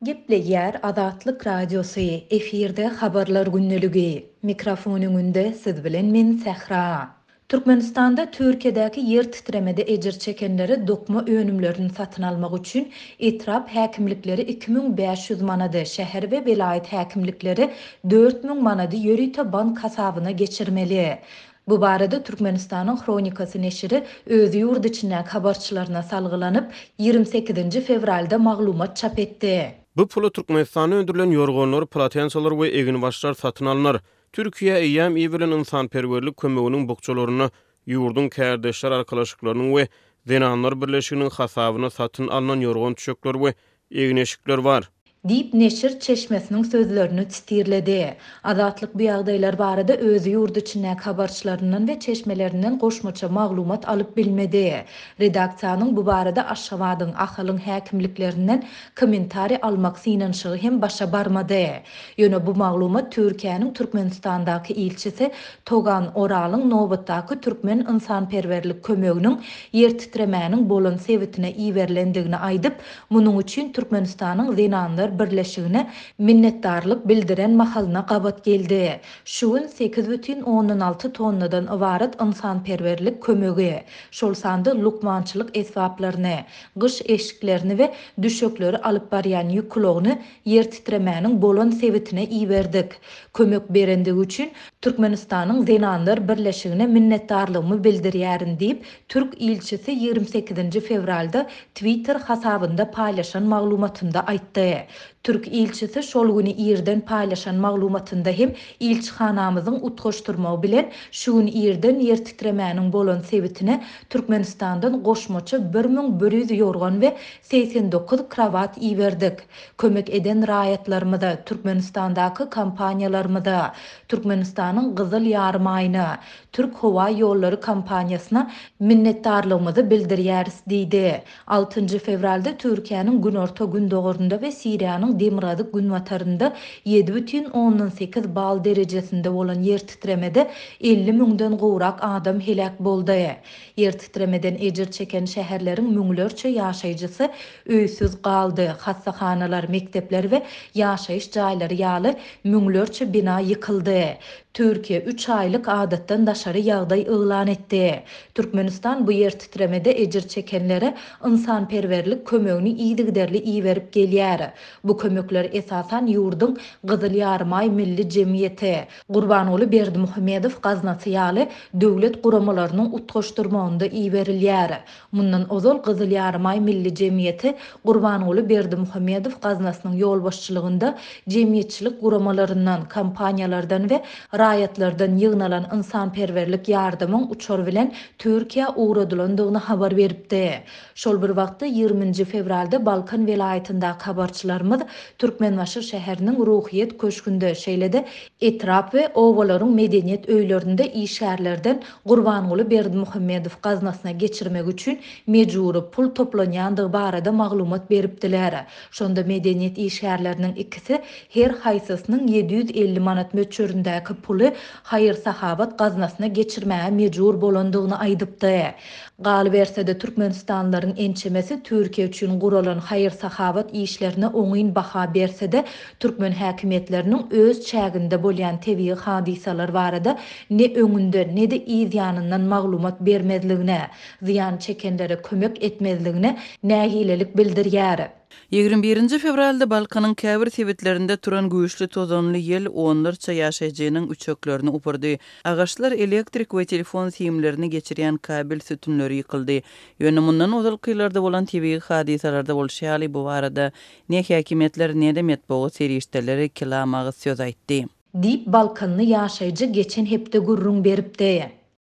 Gepleýär Azatlyk Radiosy, efirde Habarlar gündeligi. Mikrofon öňünde siz bilen men Sähra. Türkmenistanda Türkiýedäki ýer titremede ejir çekenlere dokma önümlerini satyn almak üçin etrap häkimlikleri 2500 manady, şäher we welaýat häkimlikleri 4000 manady ýörite bank hasabyna geçirmeli. Bu barada Türkmenistanyň Hronikasy neşiri öz ýurt içindäki habarçylaryna salgylanyp, 28-nji fewralda maglumat çap etdi. Bu pula Türkmenistanda öndürilen ýorganlar, polotensalar we eginbaşlar satyn alnar. Türkiýä eýýäm iberilen ynsanperwerlik kömeginiň bukjalarynda ýurduň kärdeşler arkalaşyklarynyň we Zenanlar birleşiginiň hasabyna satyn alnan ýorgan-düşekler we egin-eşikler bar. Diýip, neşir çeşmesiniň sözlerini sitirledi. Azatlyk bu ýagdaýlar barada öz ýurt içindäki habarçylaryndan we çeşmelerinden goşmaça maglumat alyp bilmedi. Redaksiýanyň bu barada Aşgabadyň, Ahalyň häkimliklerinden kommentariý almak synanyşygy hem başa barmady. Ýöne bu maglumat Türkiýäniň Türkmenistandaky ilçisi Togan Oralyň nobatdaky türkmen ynsanperwerlik kömeginiň ýertitremäniň bolan sebitine iberilendigini aýdyp, munuň üçin Türkmenistanyň Zenanlar birleşigine minnetdarlyk bildiren mahalyna gabat geldi. Şu gün 8,6 tonnadan ybarat ynsanperwerlik kömegi, şol sanda lukmançylyk esbaplaryny, gyş eşiklerini we düşekleri alyp barýan ýük ulagyny ýer titremäniň bolan sebitine iberdik. Kömek berendigi üçin Türkmenistanyň Zenanlar birleşigine minnetdarlygymy bildirýärin diýip, türk ilçisi 28-nji fewralda Twitter hasabynda paýlaşan maglumatynda aýtdy. Türk ilçisi şol güni irden paýlaşan maglumatynda hem ilçihanamyzyň utgaşdyrmagy bilen şu gün irden ýer titremäniň bolan sebitine Türkmenistandan goşmaça 1100 ýorgan we 89 krowat iberdik. Kömek eden raýatlarymyza, Türkmenistandaky kompaniýalarymyza, Türkmenistanyň Gyzyl Ýarymaýyna, Türk howa ýollary kompaniýasyna minnetdarlygymyzy bildirýäris diýdi. Altynjy fewralda Türkiýäniň günorta-gündogarynda we Siriýanyň demirgazyk-günbatarynda 7,8 bal derejesinde bolan ýer titremede 50 müňden gowrak adam heläk boldy. Ýer titremeden ejir çeken şäherleriň müňlerçe ýaşaýjysy öýsüz galdy, hassahanalar, mekdepler we ýaşaýyş jaýlary ýaly müňlerçe bina ýykyldy. Türkiýe üç aýlyk adatdan daşary ýagdaý yglan etdi. Türkmenistan bu ýer titremede ejir çekenlere ynsanperwerlik kömegini yzygiderli iberip gelýär. Bu kömekler esasan ýurduň Gyzyl Ýarymaý Milli jemgyýeti, Gurbanguly Berdimuhamedow gaznasy ýaly döwlet guramalarynyň utgaşdyrmagynda iberilýär. Mundan ozal Gyzyl Ýarymaý Milli jemgyýeti Gurbanguly Berdimuhamedow gaznasynyň ýolbaşçylygynda jemgyýetçilik guramalaryndan, kompaniýalardan we raýatlardan ýygnalan ynsanperwerlik ýardamyň uçar bilen Türkiýä ugradylandygyny habar beripdi. Şol bir wagtda, 20 nji fewralda Balkan welaýatyndaky habarçylarymyz Türkmenbaşy şäheriniň Ruhyýet köşgünde, şeýle-de etrap we obalaryň medeniýet öýlerinde işgärlerden Gurbanguly Berdimuhamedow gaznasyna geçirmek üçin mejbury pul toplanýandygy barada maglumat beripdiler. Şonda medeniýet işgärleriniň ikisi her haýsysynyň 750 manat möçberindäki puly haýyr-sahawat gaznasyna geçirmäge mejbur bolandygyny aýdypdy. Galyberse-de, türkmenistanlylaryň ençemesi Türkiýe üçin guralan haýyr-sahawat işlerine oňyn baha berse-de, türkmen häkimiýetleriniň öz çäginde bolýan tebigy hadysalar barada ne öňünden, ne-de yz ýanyndan maglumat bermezligine, zyýan çekenlere kömek etmezligine nägilelik bildirýär. 21-nji fewralda Balkanyň käbir sebitlerinde turan güýçli tozanly ýel onlarça ýaşaýjynyň üçeklerini upurdy. Agaçlar, elektrik we telefon simlerini geçirýän kabel sütünleri ýykyldy. Ýöne mundan ozalky ýyllarda bolan tebigy hadysalarda bolşy ýaly, bu barada ne häkimiýetler, ne-de metbugat serişdeleri kelam agyz söz aýtdy. Diýip, balkanly ýaşaýjy geçen hepde gürrüň beripdi.